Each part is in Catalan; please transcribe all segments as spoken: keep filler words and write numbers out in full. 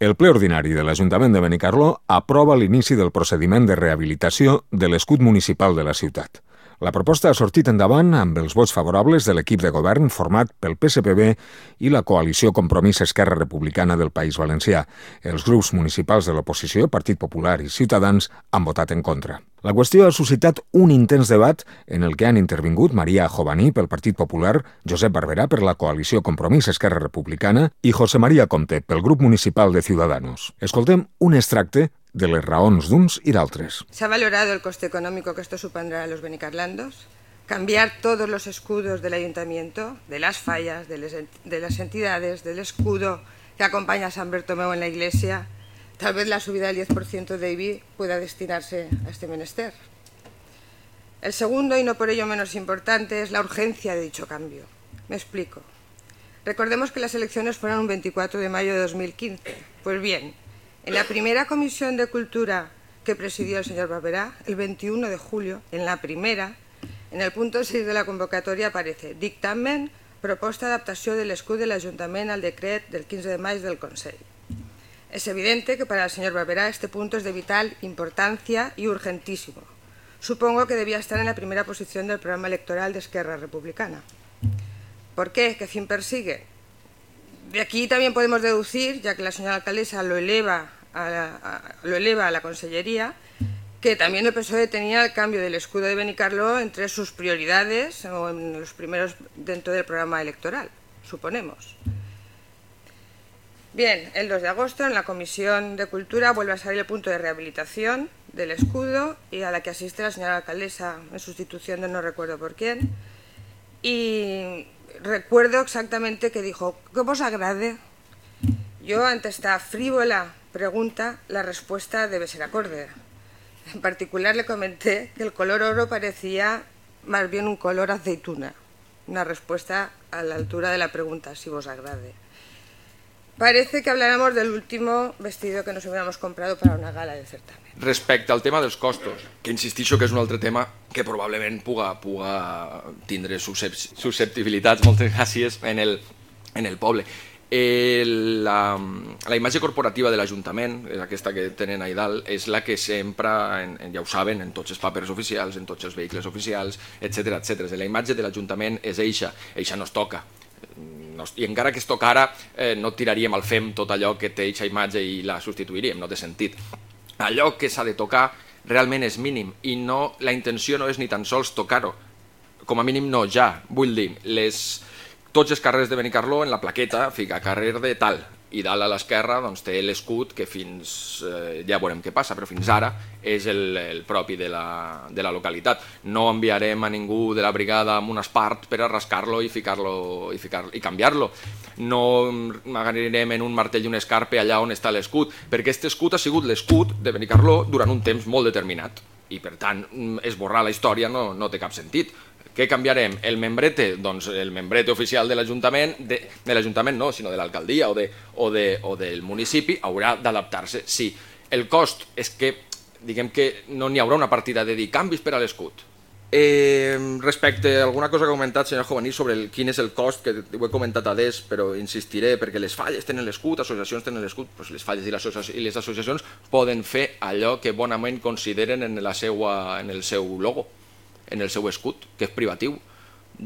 El ple ordinari de l'Ajuntament de Benicarló aprova l'inici del procediment de rehabilitació de l'escut municipal de la ciutat. La proposta ha sortit endavant amb els vots favorables de l'equip de govern format pel P S P B i la coalició Compromís Esquerra Republicana del País Valencià. Els grups municipals de l'oposició, Partit Popular i Ciutadans, han votat en contra. La qüestió ha suscitat un intens debat en el que han intervingut Maria Jovaní pel Partit Popular, Josep Barberà per la coalició Compromís Esquerra Republicana i José María Comte pel grup municipal de Ciudadanos. Escoltem un extracte de les raons d'uns i d'altres. ¿Se ha valorado el coste económico que esto supondrá a los benicarlandos? Cambiar todos los escudos del ayuntamiento, de las fallas, de, les, de las entidades, del escudo que acompaña a San Bartomeu en la iglesia. Tal vez la subida del diez por ciento de I B I pueda destinarse a este menester. El segundo, y no por ello menos importante, es la urgencia de dicho cambio. Me explico. Recordemos que las elecciones fueron un veinticuatro de mayo de dos mil quince. Pues bien, en la primera comisión de Cultura que presidió el señor Barberà, el veintiuno de julio, en la primera, en el punto seis de la convocatoria aparece dictamen, proposta d'adaptació de l'escut de l'Ajuntament al decret del quinze de mayo del Consell. Es evidente que para el señor Barberà este punto es de vital importancia y urgentísimo. Supongo que debía estar en la primera posición del programa electoral de Esquerra Republicana. ¿Por qué? ¿Qué fin persigue? De aquí también podemos deducir, ya que la señora alcaldesa lo eleva a la, a, lo eleva a la consellería, que también el P S O E tenía el cambio del escudo de Benicarló entre sus prioridades o en los primeros dentro del programa electoral, suponemos. Bien, el dos de agosto en la Comisión de Cultura vuelve a salir el punto de rehabilitación del escudo y a la que asiste la señora alcaldesa en sustitución de no recuerdo por quién. Y recuerdo exactamente que dijo, ¿qué os agrade? Yo, ante esta frívola pregunta, la respuesta debe ser acorde. En particular le comenté que el color oro parecía más bien un color aceituna. Una respuesta a la altura de la pregunta, si vos agrade. Parece que habláramos del último vestido que nos hubiéramos comprado para una gala de certamen. Respecte al tema dels costos, que insistixo que és un altre tema que probablement puga, puga tindre susceptibilitats, moltes gràcies, en el, en el poble. Eh, la, la imatge corporativa de l'Ajuntament, aquesta que tenen ahí dalt, és la que sempre, en, ja ho saben, en tots els papers oficials, en tots els vehicles oficials, etcètera etcètera. La imatge de l'Ajuntament és eixa, eixa no es toca. I encara que es tocara, eh, no tiraríem al fem tot allò que té eixa imatge i la substituiríem, no té sentit. Allò que s'ha de tocar realment és mínim i no, la intenció no és ni tan sols tocar-ho, com a mínim no ja, vull dir, les, tots els carrers de Benicarló en la plaqueta fica carrer de tal i dalt a l'esquerra doncs, té l'escut que fins, eh, ja veurem què passa, però fins ara és el, el propi de la, de la localitat. No enviarem a ningú de la brigada amb un espart per a rascar-lo i ficar-lo i, ficar i canviar-lo. No agarrarem en un martell i un escarpe allà on està l'escut, perquè aquest escut ha sigut l'escut de Benicarló durant un temps molt determinat i per tant esborrar la història no, no té cap sentit. Què canviarem? El membrete? Doncs el membrete oficial de l'Ajuntament, de, de l'Ajuntament no, sinó de l'alcaldia o, de, o, de, o del municipi haurà d'adaptar-se, sí. El cost és que, diguem que no n'hi haurà una partida de dir canvis per a l'escut. Eh, respecte a alguna cosa que ha comentat senyor Jovaní sobre el, quin és el cost, que ho he comentat a des, però insistiré, perquè les falles tenen l'escut, associacions tenen l'escut, doncs les falles i les, i les associacions poden fer allò que bonament consideren en, la seua, en el seu logo, en el seu escut, que és privatiu.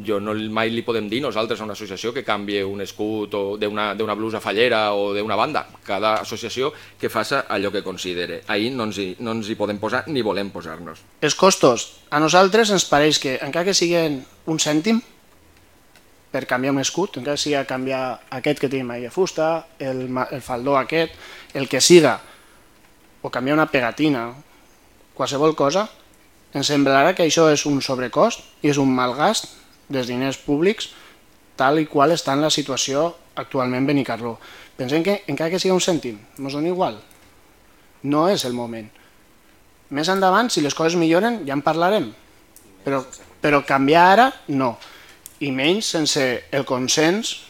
Jo no mai li podem dir nosaltres a una associació que canvie un escut d'una blusa fallera o d'una banda. Cada associació que faça allò que considere. Ahir no ens, hi, no ens hi podem posar ni volem posar-nos. Els costos. A nosaltres ens pareix que encara que siguin un cèntim per canviar un escut, encara que sigui canviar aquest que tenim ahir de fusta, el, el faldó aquest, el que siga, o canviar una pegatina, qualsevol cosa, ens semblarà que això és un sobrecost i és un malgast dels diners públics tal i qual està en la situació actualment Benicarló. Pensem que encara que sigui un cèntim, ens dona igual. No és el moment. Més endavant, si les coses milloren, ja en parlarem. Però, però canviar ara, no. I menys sense el consens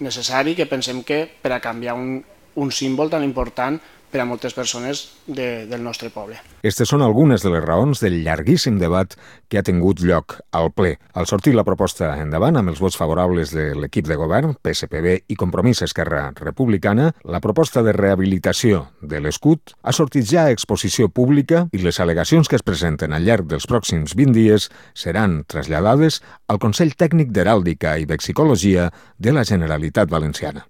necessari que pensem que per a canviar un, un símbol tan important per a moltes persones de, del nostre poble. Aquestes són algunes de les raons del llarguíssim debat que ha tingut lloc al ple. Al sortir la proposta endavant, amb els vots favorables de l'equip de govern, P S P B i Compromís Esquerra Republicana, la proposta de rehabilitació de l'escut ha sortit ja a exposició pública i les al·legacions que es presenten al llarg dels pròxims vint dies seran traslladades al Consell Tècnic d'Heràldica i Vexicologia de la Generalitat Valenciana.